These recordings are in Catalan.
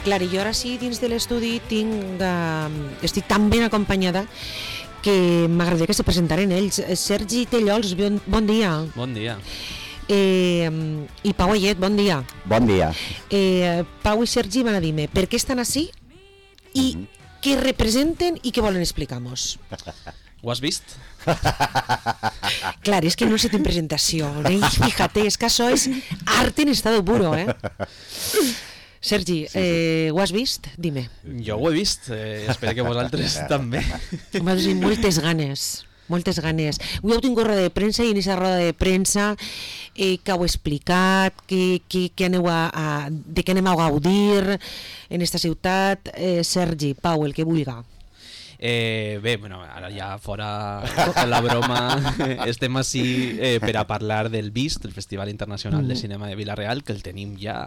Clar, i jo ara sí, dins de l'estudi estic tan ben acompanyada que m'agradaria que se presentaren ells. Sergi Tellols, bon dia. Bon dia. I Pau Ayet, bon dia. Bon dia. Pau i Sergi van a dir-me per què estan així i què representen i què volen explicar-nos. Ho has vist? Clar, és que no se tiene presentación, ¿eh? Fíjate, es que això és arte en estado puro, ¿eh? Sergi, ho has vist? Dime. Jo ho he vist, espero que vosaltres també. M'ha dit moltes ganes. Moltes ganes. Avui heu tingut roda de premsa i en aquesta roda de premsa que heu explicat, de què anem a gaudir en esta ciutat. Sergi, Pau, el que vulga. Bé, bueno, ara ja fora la broma estem així per a parlar del VIST, el Festival Internacional de Cinema de Vila-real, que el tenim ja,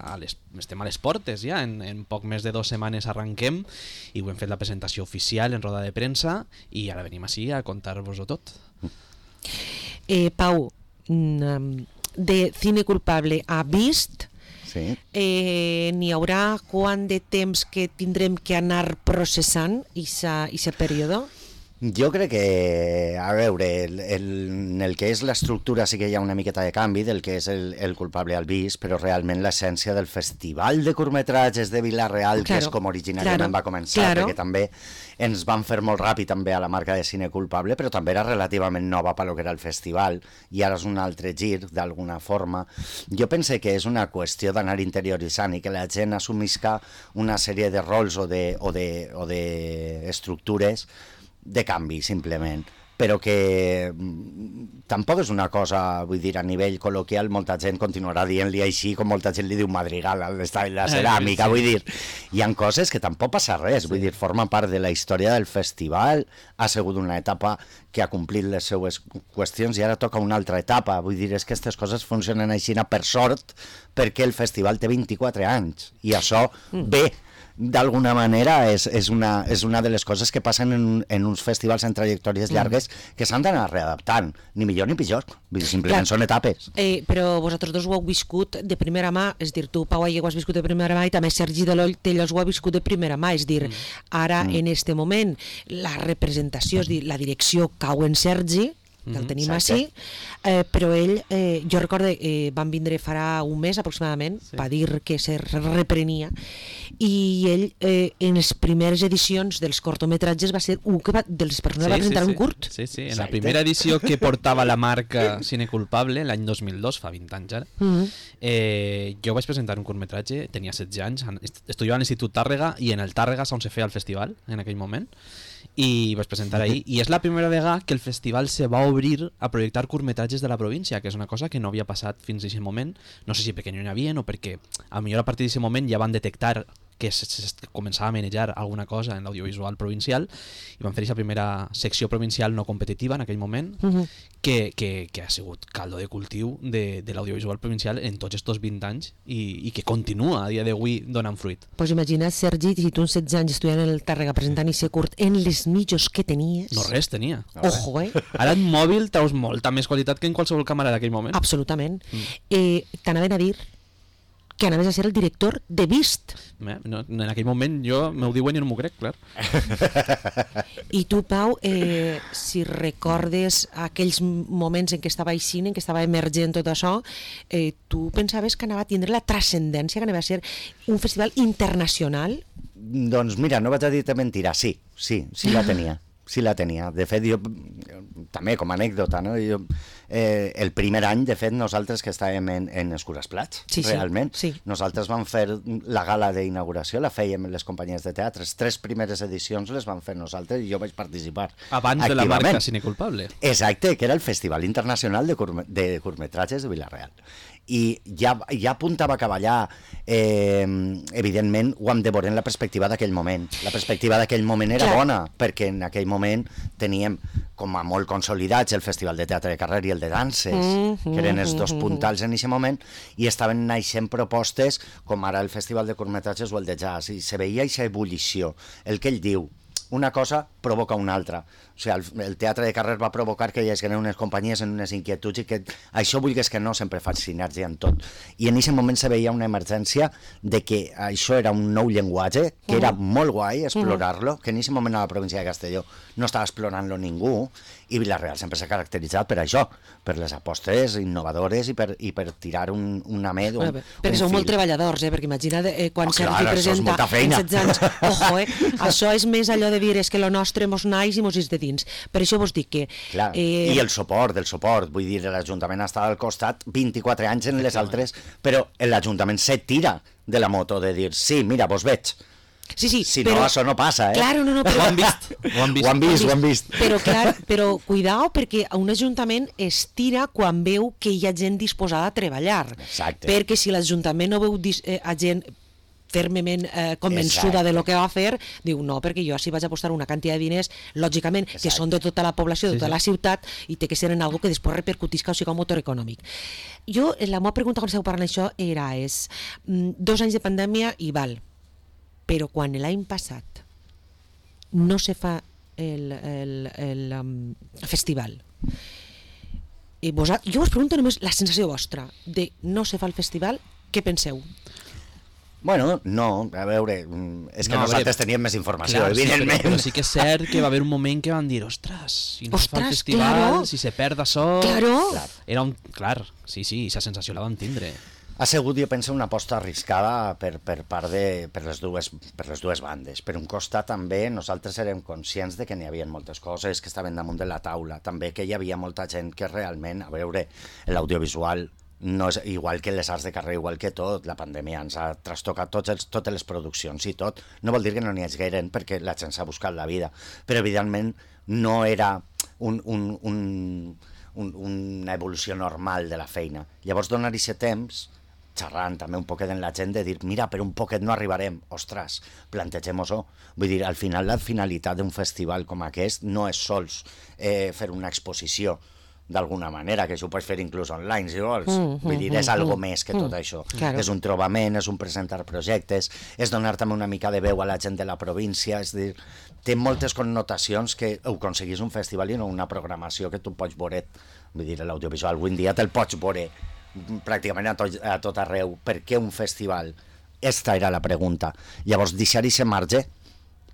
estem a les portes ja, en poc més de 2 setmanes arranquem i ho hem fet la presentació oficial en roda de premsa i ara venim així a contar-vos-ho tot. Pau, de Cine Culpable a VIST, Sí. n'hi haurà quant de temps que tindrem que anar processant aquest període? Jo crec que, a veure, en el que és l'estructura sí que hi ha una miqueta de canvi del que és el culpable al VIST, però realment l'essència del Festival de Curtmetratges de Vila-real, que és com originàriament va començar, perquè també ens van fer molt ràpid també a la marca de Cine Culpable, però també era relativament nova pel que era el festival, i ara és un altre gir, d'alguna forma. Jo pense que és una qüestió d'anar interioritzant i que la gent assumisca una sèrie de rols o d'estructures de canvi, simplement, però que tampoc és una cosa, vull dir, a nivell col·loquial, molta gent continuarà dient-li així com molta gent li diu madrigal a la ceràmica, vull dir, hi ha coses que tampoc passa res, vull dir, forma part de la història del festival, ha sigut una etapa que ha complit les seues qüestions i ara toca una altra etapa, vull dir, és que aquestes coses funcionen així per sort, perquè el festival té 24 anys, i això ve d'alguna manera és una de les coses que passen en uns festivals en trajectòries llargues que s'han d'anar readaptant, ni millor ni pitjor, simplement són etapes. Però vosaltres dos ho heu viscut de primera mà, és dir, tu, Pau Ayet, ho has viscut de primera mà i també Sergi Tellols ho ha viscut de primera mà, és dir, ara en este moment la representació, és dir, la direcció cau en Sergi, que el tenim així, però ell, jo recordo, van vindre farà un mes aproximadament, va dir que se reprenia, i ell en les primeres edicions dels cortometratges va ser un de les persones que va presentar un curt. Sí, en la primera edició que portava la marca Cine Culpable, l'any 2002, fa 20 anys ara, jo vaig presentar un curtmetratge, tenia 16 anys, estudiava a l'Institut Tàrrega i en el Tàrrega on se feia el festival en aquell moment, i vaig presentar ahir, i és la primera vegada que el festival se va obrir a projectar curtmetratges de la província, que és una cosa que no havia passat fins a aquest moment, no sé si perquè no n'hi havia o perquè potser a partir d'aquest moment ja van detectar que començava a manejar alguna cosa en l'audiovisual provincial i van fer aquesta primera secció provincial no competitiva en aquell moment que ha sigut caldo de cultiu de l'audiovisual provincial en tots aquests 20 anys i que continua a dia d'avui donant fruit. Pues imagina't, Sergi, si tu en 16 anys estudiant en el Tàrrega presentant i ser curt en les mitjos que tenies... No res tenia. Ojo, Ara en mòbil treus molta més qualitat que en qualsevol càmera d'aquell moment. Absolutament. T'anaven a dir que anaves a ser el director de VIST. No, en aquell moment jo m'ho diuen i no m'ho crec, clar. I tu, Pau, si recordes aquells moments en què estava eixint, en què estava emergent tot això, tu pensaves que anava a tindre la transcendència, que anava a ser un festival internacional? Doncs mira, no vaig a dir-te mentira, sí la tenia. Sí la tenia. De fet, jo també com a anècdota, no? El primer any, de fet, nosaltres que estàvem en Escures Plats, realment, nosaltres vam fer la gala d'inauguració, la fèiem les companyies de teatre, les 3 primeres edicions les vam fer nosaltres i jo vaig participar abans de la marca Cine Culpable. Exacte, que era el Festival Internacional de Curtmetratges de Vila-real. I ja apuntava cap allà, evidentment ho hem de veure en la perspectiva d'aquell moment. La perspectiva d'aquell moment era bona, perquè en aquell moment teníem com a molt consolidats el Festival de Teatre de Carrer i el de Danses, que eren els 2 puntals en aquest moment, i estaven naixent propostes com ara el Festival de Curtmetratges o el de Jazz, i se veia aquesta ebullició. El que ell diu, una cosa provoca una altra. O sigui, el teatre de carrer va provocar que hi hagués unes companyies en unes inquietuds i que això, vulguis que no, sempre fa sinergia en tot. I en aquest moment se veia una emergència de que això era un nou llenguatge, que era molt guai explorar-lo, que en aquest moment a la província de Castelló no estava explorant-lo ningú, i Vila-real sempre s'ha caracteritzat per això, per les apostes innovadores i per tirar una med, perquè sou molt treballadors, perquè imagina't quan Sergi presenta en 16 anys, ojo, això és més allò de dir, és que lo nostre mos naix i mos és de dins. Per això vos dic que... Clar, i el suport, vull dir, l'Ajuntament està al costat 24 anys en les altres, però l'Ajuntament se tira de la moto de dir, sí, mira, vos veig. Sí, si però, no, això no passa, Claro, no, però, ho han vist. Però cuidao, perquè un ajuntament es tira quan veu que hi ha gent disposada a treballar. Exacte. Perquè si l'Ajuntament no veu a gent fermement convençuda de lo que va fer, diu no, perquè jo així vaig apostar una quantitat de diners, lògicament, que són de tota la població, de tota la ciutat, i té que ser en algo que després repercutisca, o sigui, un motor econòmic. Jo, la meva pregunta quan esteu parlant d'això era, 2 anys de pandèmia i val, però quan l'any passat no se fa el festival, jo us pregunto només la sensació vostra de no se fa el festival, què penseu? Bueno, no, a veure, és que nosaltres teníem més informació, evidentment. Però sí que és cert que va haver un moment que van dir, ostres, si no es fa el festival, claro. Si se perd això... Claro. Era un... Clar, sí, aquesta sensació la vam tindre. Ha sigut, jo penso, una aposta arriscada per part per les dues bandes. Per un costat també nosaltres érem conscients de que n'hi havia moltes coses que estaven damunt de la taula, també que hi havia molta gent que realment, a veure, l'audiovisual no és igual que les arts de carrer, igual que tot, la pandèmia ens ha trastocat totes les produccions i tot. No vol dir que no n'hi hagi gaire, perquè la gent s'ha buscat la vida, però evidentment no era una evolució normal de la feina. Llavors donar aquest temps, xerrant també un poquet en la gent, de dir, mira, per un poquet no arribarem, ostres, plantegem-ho-ho. Vull dir, al final la finalitat d'un festival com aquest no és sols fer una exposició, d'alguna manera, que això ho pots fer inclús online, si vols. Vull dir, és algo més que tot això. Claro. És un trobament, és un presentar projectes, és donar també una mica de veu a la gent de la província, és dir, té moltes connotacions que ho aconseguís un festival i no una programació que tu pots veure, vull dir, l'audiovisual avui en dia te'l pots veure pràcticament a tot arreu. Per què un festival? Esta era la pregunta. Llavors, deixar aquest marge,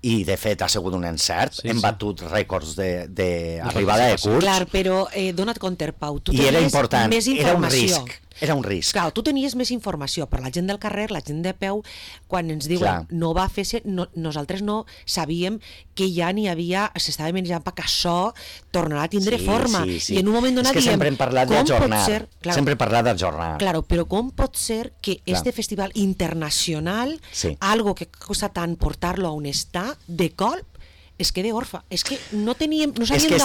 i de fet ha sigut un encert, hem batut rècords d'arribada de curs. Clar, però dona't compte, Pau, tu i era important, més informació. Era un risc. Clar, tu tenies més informació, però la gent del carrer, la gent de peu, quan ens diuen no va fer-se, nosaltres no sabíem que ja n'hi havia, s'estava menjant perquè això tornarà a tindre forma. Sí. I en un moment donat és que sempre hem parlat d'ajornar. Sempre hem parlat d'ajornar. Claro, però com pot ser que este festival internacional, algo que costa tant portar-lo a on està, de colp, es quede orfa. És que no sabíem d'on. És que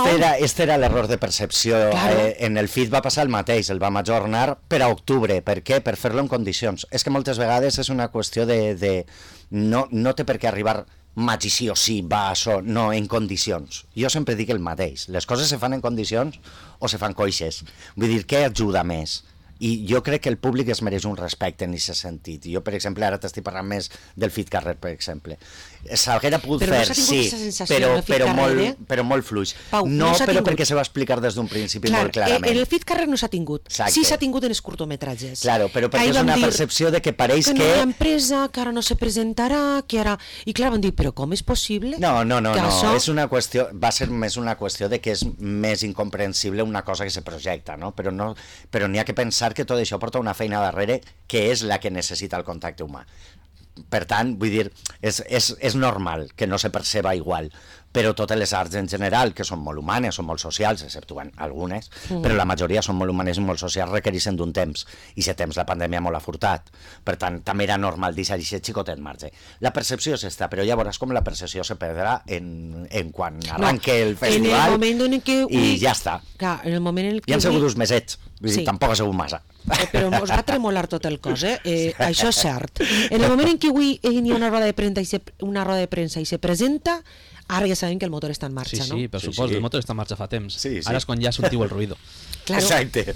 este era l'error de percepció. Claro. En el FIT va passar el mateix, el vam ajornar per a octubre. Per què? Per fer-lo en condicions. És que moltes vegades és una qüestió de no té per què arribar maig i sí o sí, va això, no, en condicions. Jo sempre dic el mateix. Les coses se fan en condicions o se fan coixes. Vull dir, què ajuda més? I jo crec que el públic es mereix un respecte en aquest sentit. Jo, per exemple, ara t'estic parlant més del FIT Carrer, per exemple. S'haguera pogut fer, sí, però molt fluix. Pau, no però perquè se va explicar des d'un principi molt clarament. El FIT Carrer no s'ha tingut. Exacte. Sí s'ha tingut en els curtometratges. Claro, però perquè és una percepció de que pareix que... no hi ha empresa, que ara no se presentarà, que ara... I clar, van dir, però com és possible? No, és una qüestió... Va ser més una qüestió de que és més incomprensible una cosa que se projecta, no? Però n'hi ha que pensar que tot això porta una feina darrere que és la que necessita el contacte humà. Per tant, vull dir, és normal que no se perceba igual, però totes les arts en general, que són molt humanes, són molt socials, exceptuant algunes, però la majoria són molt humanes i molt socials, requereixen d'un temps, i aquest temps la pandèmia molt ha furtat. Per tant, també era normal deixar aquest xicotet marge. La percepció és esta, però ja veuràs com la percepció se perdrà en quan arranque el festival i ja està. Clar, en el moment en què... Ja han sigut uns mesets, vull dir, tampoc ha sigut massa. Però us va tremolar tot el cos, això és cert. En el moment en què avui hi ha una roda de premsa i se presenta, ara ja sabem que el motor està en marxa, no? Sí, per suposo, el motor està en marxa fa temps. Sí. Ara és quan ja sentiu el ruïdo. Claro. Exacte.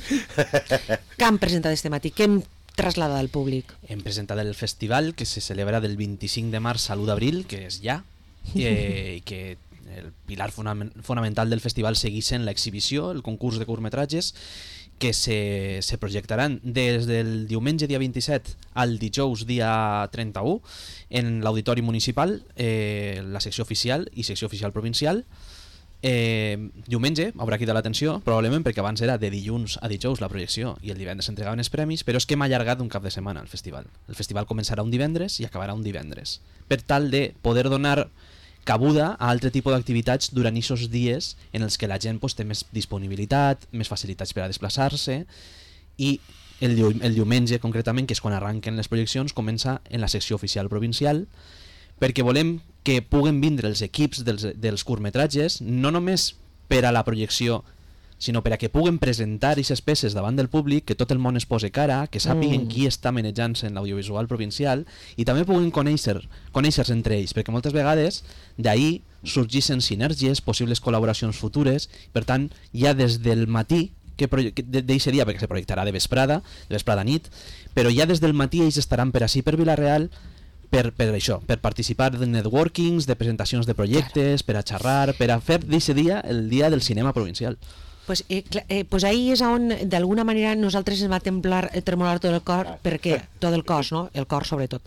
Què han presentat este matí? Què hem traslladat al públic? Hem presentat el festival que se celebra del 25 de març a l'1 d'abril, que és ja, i que el pilar fonamental del festival segueix sent l'exhibició, el concurs de curtmetratges, que se projectaran des del diumenge dia 27 al dijous dia 31 en l'Auditori Municipal, la secció oficial i secció oficial provincial. Diumenge haurà cridat l'atenció, probablement perquè abans era de dilluns a dijous la projecció i el divendres s'entregaven els premis, però és que hem allargat un cap de setmana el festival. El festival començarà un divendres i acabarà un divendres, per tal de poder donar cabuda a altre tipus d'activitats durant aquests dies en els que la gent té més disponibilitat, més facilitats per a desplaçar-se, i el diumenge concretament, que és quan arranquen les projeccions, comença en la secció oficial provincial, perquè volem que puguen vindre els equips dels curtmetratges no només per a la projecció, sinó per a que puguen presentar aquestes peces davant del públic, que tot el món es posi cara, que sàpiguen qui està manejant-se en l'audiovisual provincial, i també puguen conèixer-se entre ells, perquè moltes vegades d'ahir sorgeixen sinergies, possibles col·laboracions futures. Per tant, ja des del matí d'aquest dia, perquè se projectarà de vesprada nit, però ja des del matí ells estaran per ací, per Vila-real, per això, per participar de networkings, de presentacions de projectes, per a xerrar, per a fer d'aquest dia el dia del cinema provincial. Pues ahí és on d'alguna manera nosaltres ens va tremolar tot el cor, perquè tot el cos, no? El cor sobretot,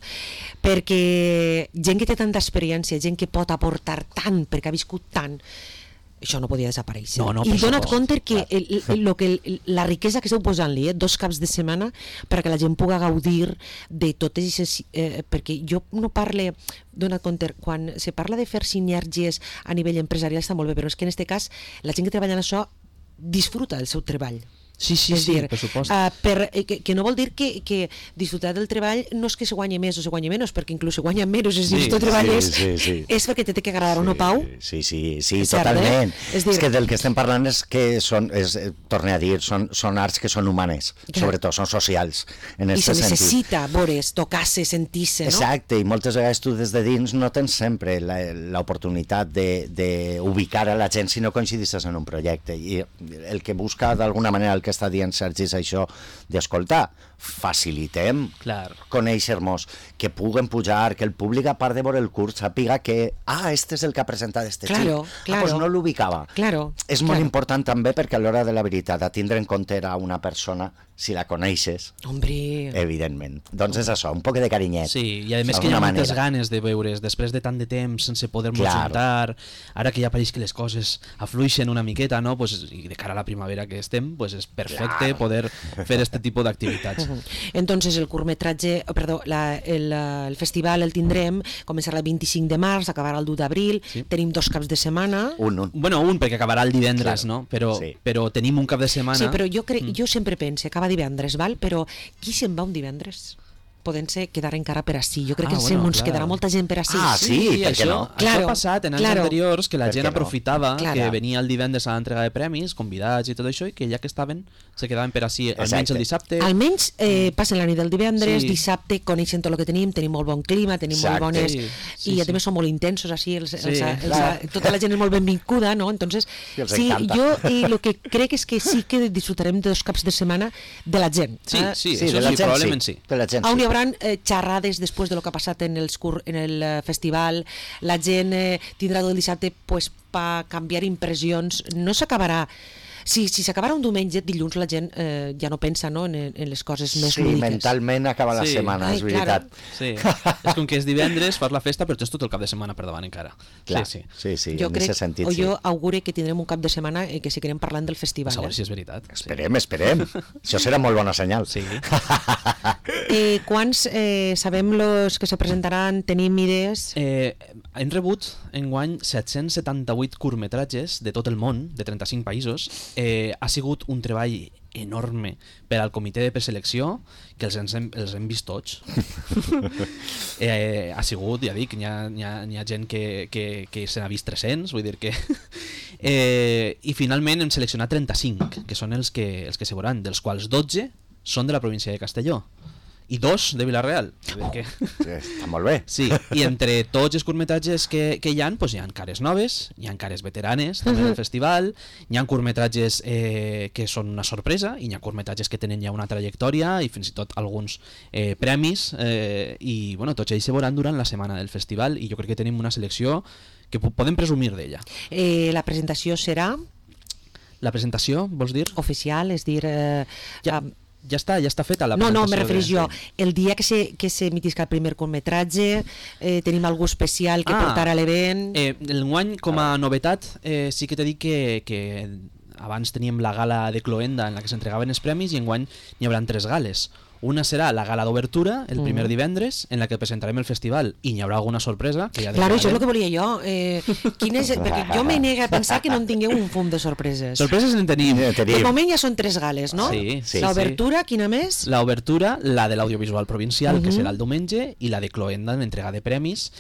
perquè gent que té tanta experiència, gent que pot aportar tant, perquè ha viscut tant, això no podia desaparèixer. I dona't compte que la riquesa que esteu posant-li, 2 caps de setmana, perquè la gent pugui gaudir de totes aquestes... perquè jo no parle... Dona't compte, quan se parla de fer sinergies a nivell empresarial està molt bé, però és que en aquest cas la gent que treballa en això disfruta del seu treball. Sí, per supost. Que no vol dir que disfrutar del treball no és que se guanyi més o se guanyi menys, perquè inclús se guanya menys, és dir, si tu treballes és perquè té que agradar o no, Pau? Sí, totalment. És que del que estem parlant és que torne a dir, són arts que són humanes, sobretot, són socials. I se necessita veure's, tocar-se, sentir-se, no? Exacte, i moltes vegades tu des de dins no tens sempre l'oportunitat d'ubicar a la gent si no coincidisses en un projecte, i el que busca d'alguna manera el que està dient Sergi és això d'escoltar, facilitem conèixer-nos, que puguen pujar, que el públic a part de veure el curs sàpiga que este és el que ha presentat este xic, doncs no l'ubicava. És molt important també perquè a l'hora de la veritat a tindre en compte a una persona, si la coneixes, evidentment, doncs és això, un poc de carinyet. Sí, i a més que hi ha moltes ganes de veure's després de tant de temps sense poder-nos juntar, ara que ja pareix que les coses afluixen una miqueta, no? I de cara a la primavera que estem, és perfecte poder fer aquest tipus d'activitats. Entonces el curtmetratge, el festival el tindrem, començarà el 25 de març, acabarà el 2 d'abril, tenim 2 caps de setmana. Bueno, perquè acabarà el divendres, no? Però tenim un cap de setmana. Sí, però jo sempre penso, acaba divendres, val? Però qui se'n va un divendres? Podent-se quedar encara per ací. Jo crec que ens quedarà molta gent per ací. Per què no? Això ha passat en anys anteriors, que la gent aprofitava que venia el divendres a l'entrega de premis, convidats i tot això, i que ja que estaven, se quedaven per ací almenys el dissabte. Almenys passen la nit del divendres, dissabte, coneixen tot el que tenim molt bon clima, tenim molt bones... I a més són molt intensos així, tota la gent és molt benvinguda, no? Entonces, jo el que crec és que sí que disfrutarem de 2 caps de setmana de la gent. Sí, probablement sí. On hi haurà xerrades després de lo que ha passat en el festival, la gent tindrà tot el dissabte per canviar impressions, no s'acabarà. Si s'acabarà un diumenge, dilluns la gent ja no pensa en les coses més lúdiques. Sí, mentalment acaba la setmana, és veritat. Sí, és com que és divendres, fas la festa, però tens tot el cap de setmana per davant encara. Sí, en aquest sentit, sí. Jo augure que tindrem un cap de setmana que seguirem parlant del festival. A veure si és veritat. Esperem. Això serà molt bona senyal. Sí. Quants sabem los que se presentaran? Tenim idees? Hem rebut enguany 778 curtmetratges de tot el món, de 35 països. Ha sigut un treball enorme per al comitè de preselecció, que els hem vist tots. Ha sigut, ja dic, n'hi ha gent que se n'ha vist 300, vull dir que... I finalment hem seleccionat 35, que són els que se veuran, dels quals 12 són de la província de Castelló. i 2 de Vila-real. Està molt bé. Sí, i entre tots els curtmetratges que hi ha, doncs hi ha cares noves, hi ha cares veteranes també del festival, hi ha curtmetratges que són una sorpresa, i hi ha curtmetratges que tenen ja una trajectòria i fins i tot alguns premis, i bueno, tots ells se veuran durant la setmana del festival, i jo crec que tenim una selecció que podem presumir d'ella. La presentació serà La presentació, vols dir? oficial, és dir... Ja està feta la No, presentació. me refereix jo. El dia que s'emitisca el primer curtmetratge, tenim algú especial que portarà a l'event... Enguany, com a novetat, sí que t'he dit que abans teníem la gala de Cloenda en la que s'entregaven els premis, i enguany n'hi haurà 3 gales. Una serà la gala d'obertura, el primer divendres, en la que presentarem el festival, i n'hi haurà alguna sorpresa. Que ja Claro, això és el que volia jo. Perquè jo me nega a pensar que no en tingueu un fum de sorpreses. Sorpreses en tenim. De moment ja són 3 gales, no? Sí. L'obertura, quina més? L'obertura, la de l'audiovisual provincial, que serà el diumenge, i la de Cloenda, l'entrega de premis,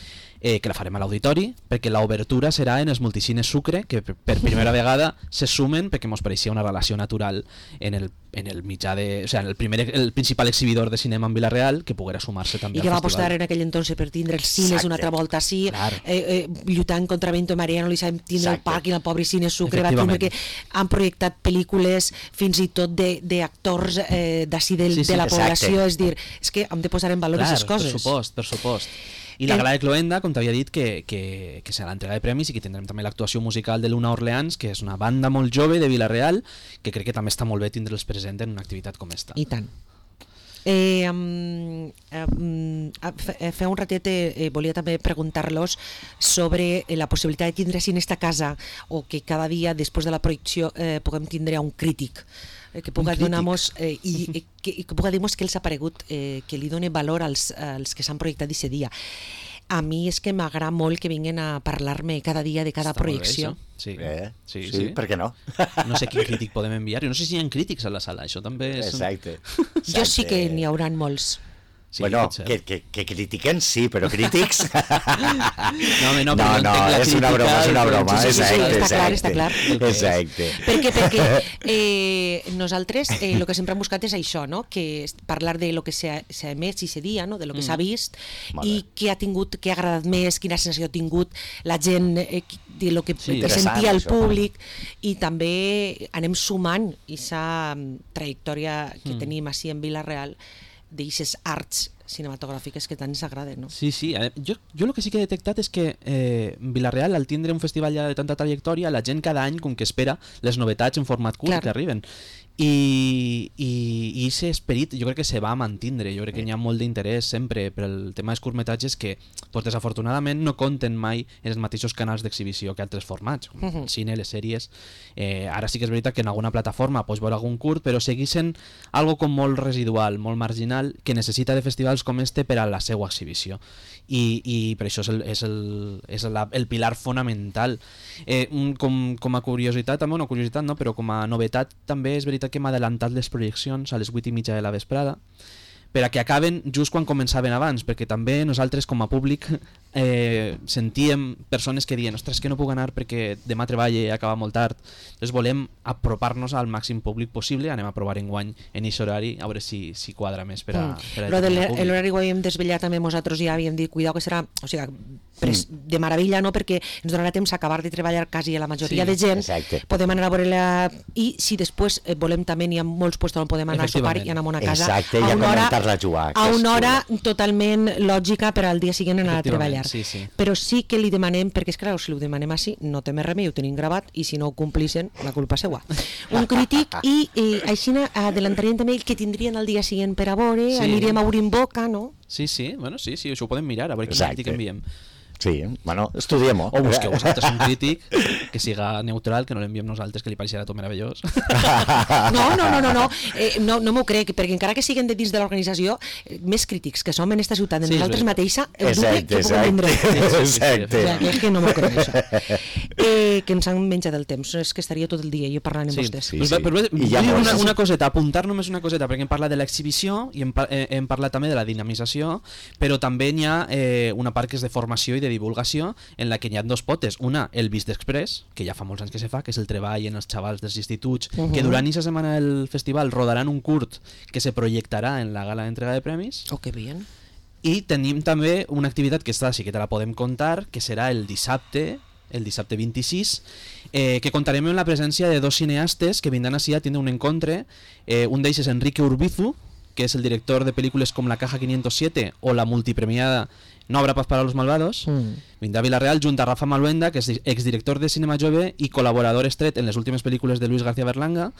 que la farem a l'auditori, perquè l'obertura serà en els multicines Sucre, que per primera vegada se sumen, perquè ens pareixia una relació natural en el mitjà de... O sigui, el principal exhibidor de cinema en Vila-real, que poguera sumar-se també I que al va festival. apostar en aquell entonces per tindre els cines una altra volta així, lluitant contra Vento i Marea, no li sabem tindre el parc i el pobre cine Sucre, va tindre que han projectat pel·lícules fins i tot d'actors d'ací de la població, és dir, és que hem de posar en valor aquestes coses. Per supost. I la gala de Cloenda, com t'havia dit, que serà l'entrega de premis, i que tindrem també l'actuació musical de Luna Orleans, que és una banda molt jove de Vila-real, que crec que també està molt bé tindre'ls present en una activitat com esta. I tant. Fa un ratet volia també preguntar-los sobre la possibilitat de tindre en esta casa, o que cada dia després de la projecció puguem tindre un crític que puga donar-nos i que puga dir-nos què els ha paregut, que li doni valor als que s'han projectat aquest dia. A mi és que m'agrada molt que vinguin a parlar-me cada dia de cada projecció. Sí, per què no? No sé quin crític podem enviar, no sé si hi ha crítics a la sala, això també és... Exacte. Jo sí que n'hi hauran molts. Sí, bueno, que critiquen sí, però crítics... No, és una broma. Sí, està clar. Exacte. Perquè nosaltres el que sempre hem buscat és això, no? Que parlar de lo que s'ha emès i se dia, no? De lo que s'ha vist, i què ha tingut, què ha agradat més, quina sensació ha tingut la gent, de lo que sentia el públic, i també anem sumant aquesta trajectòria que tenim així en Vila-real, d'aixes arts cinematogràfiques que tant ens agraden, no? Sí. Jo el que sí que he detectat és que Vila-real, al tindre un festival ja de tanta trajectòria, la gent cada any com que espera les novetats en format curt que arriben. I aquest esperit jo crec que se va mantindre. Jo crec que hi ha molt d'interès sempre per el tema dels curtmetratges que pues, desafortunadament no compten mai en els mateixos canals d'exhibició que altres formats, el cine, les sèries. Ara sí que és veritat que en alguna plataforma pots veure algun curt, però segueixen algo com molt residual, molt marginal, que necessita de festivals com este per a la seva exhibició. I per això és el pilar fonamental. Com a curiositat, també una curiositat, no? Però com a novetat també és veritat que hem adelantat les projeccions a les 8:30 de la vesprada per a que acaben just quan començaven abans, perquè també nosaltres com a públic sentíem persones que diuen ostres, que no puc anar perquè demà treballe i acaba molt tard. Llavors volem apropar-nos al màxim públic possible, anem a provar enguany en aquest horari, a veure si quadra més per a l'horari ho havíem desvetllat també nosaltres, ja havíem dit cuidao que serà, o sigui, de meravella, no? Perquè ens donarà temps a acabar de treballar quasi a la majoria de gent, podem anar a veure-la, i si després volem també, n'hi ha molts llocs on podem anar a sopar i anar a una casa a una hora totalment lògica per al dia següent anar a treballar. Però sí que li demanem, perquè és clar, si ho demanem així no té més remei, ho tenim gravat, i si no ho complixen, la culpa seua. Un crític, i així adelantaríem també el que tindrien el dia següent per a veure, aniríem a obrir boca, no? Sí, això ho podem mirar, a veure quin crític enviem. Sí, bueno, estudiem-ho. O busqueu vosaltres un crític que siga neutral, que no l'enviem nosaltres, que li pareixerà tot meravellós. No m'ho crec, perquè encara que siguin de dins de l'organització, més crítics que som en esta ciutat, en nosaltres mateixa, el dubte que puguem vindre. Exacte. És que no m'ho crec, això. que ens han menjat el temps. És que estaria tot el dia jo parlant amb vostès. Sí. Però I ja vull dir molts. una coseta, apuntar només una coseta, perquè hem parlat de l'exhibició i hem parlat també de la dinamització, però també hi ha una part que és de formació i de divulgació, en la que hi ha dos potes. Una, el Vist Express, que ja fa molts anys que se fa, que és el treball en els xavals dels instituts, que durant aquesta setmana del festival rodaran un curt que se projectarà en la gala d'entrega de premis. Oh, que bien. I tenim també una activitat que està, sí que te la podem contar, que serà el dissabte 26, que contarem amb la presència de dos cineastes que vindran així a tindre un encontre. Un d'ells és Enrique Urbizu, que és el director de pel·lícules com La Caja 507 o la multipremiada No habrá paz para los malvados. Vindrà a Vila-real junt a Rafa Maluenda, que és exdirector de Cinema Jove i col·laborador estret en les últimes pel·lícules de Luis García Berlanga,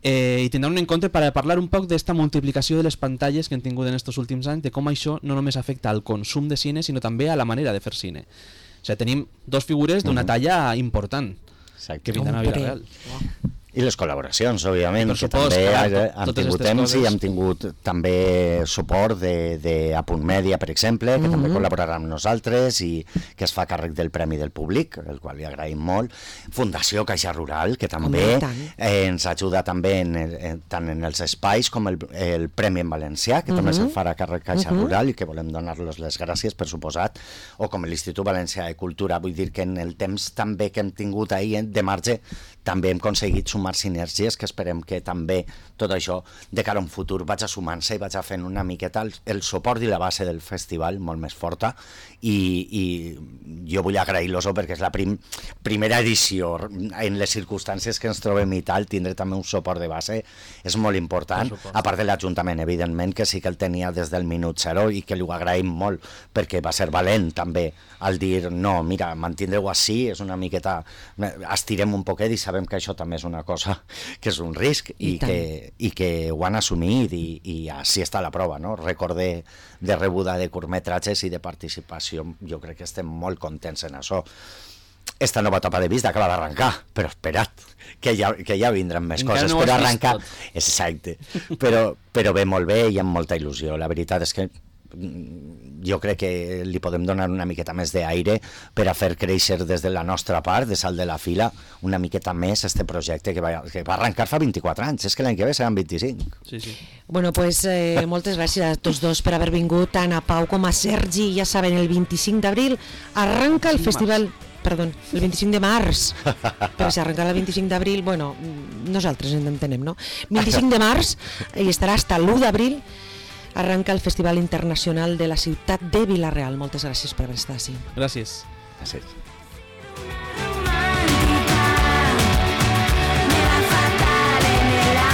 i tindran un encontre per a parlar un poc d'esta multiplicació de les pantalles que hem tingut en estos últims anys, de com això no només afecta al consum de cine, sinó també a la manera de fer cine. O sigui, tenim dos figures d'una talla important que vindran a Vila-real. I les col·laboracions, òbviament, Per que supost, també clar, hem totes tingut aquestes temps coses. i hem tingut també suport de Apunt Mèdia, per exemple, que també col·laborarà amb nosaltres i que es fa càrrec del Premi del Públic, el qual li agraïm molt. Fundació Caixa Rural, que també ens ajuda també tant en els espais com el Premi en Valencià, que també se'n farà càrrec Caixa Rural i que volem donar-los les gràcies, per suposat, o com l'Institut Valencià de Cultura. Vull dir que en el temps també que hem tingut ahir de marge també hem aconseguit sumar sinergies, que esperem que també tot això de cara a un futur vaig sumant-se i vaig fent una miqueta el suport i la base del festival molt més forta, i jo vull agrair-los perquè és la primera edició en les circumstàncies que ens trobem i tal. Tindre també un suport de base és molt important, a part de l'Ajuntament, evidentment, que sí que el tenia des del minut zero i que li ho agraïm molt, perquè va ser valent també al dir, no, mira, mantindre-ho així és una miqueta, estirem un poquet i sabem que això també és una cosa que és un risc i que ho han assumit i així està la prova, no? Rècord de rebuda de curtmetratges i de participació. Jo crec que estem molt contents en això. Esta nova etapa de Vist acaba d'arrencar, però espera't, que ja vindran més encara coses. No però has arrencar, vist tot. exacte, però ve molt bé i amb molta il·lusió. La veritat és que jo crec que li podem donar una miqueta més d'aire per a fer créixer des de la nostra part, de salt de la fila, una miqueta més este projecte que va arrencar fa 24 anys. És que l'any que ve seran 25. Sí. Bueno, pues moltes gràcies a tots dos per haver vingut, tant a Pau com a Sergi. Ja saben, el 25 d'abril arranca el festival... Perdó, el 25 de març, però si arrencarà el 25 d'abril, bueno, nosaltres ens entenem, no? 25 de març, i estarà fins l'1 d'abril, arranca el Festival Internacional de la Ciutat de Vila-real. Moltes gràcies per haver estat així. Gràcies. Gràcies.